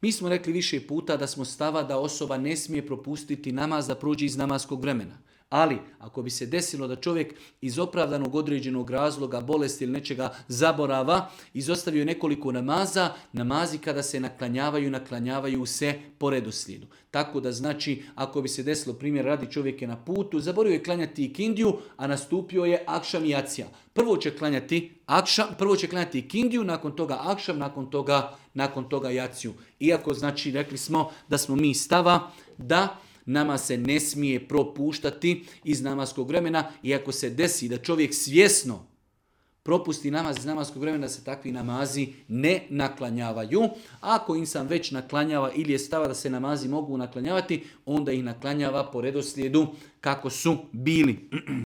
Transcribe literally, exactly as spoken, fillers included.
Mi smo rekli više puta da smo stava da osoba ne smije propustiti namaz da prođe iz namaskog vremena. Ali, ako bi se desilo da čovjek iz opravdanog određenog razloga, bolesti ili nečega zaborava, izostavio nekoliko namaza, namazi kada se naklanjavaju, naklanjavaju se po redoslijedu. Tako da znači, ako bi se desilo, primjer radi, čovjek je na putu, zaboravio je klanjati ikindiju, a nastupio je akšam i jacija. Prvo će klanjati akšam, prvo će klanjati ikindiju, nakon toga akšam, nakon toga, nakon toga jaciju. Iako znači, rekli smo da smo mi stava da nama se ne smije propuštati iz namaskog vremena, i ako se desi da čovjek svjesno propusti namaz iz namaskog vremena, da se takvi namazi ne naklanjavaju. Ako insan već naklanjava ili je stava da se namazi mogu naklanjavati, onda ih naklanjava po redoslijedu kako su bili.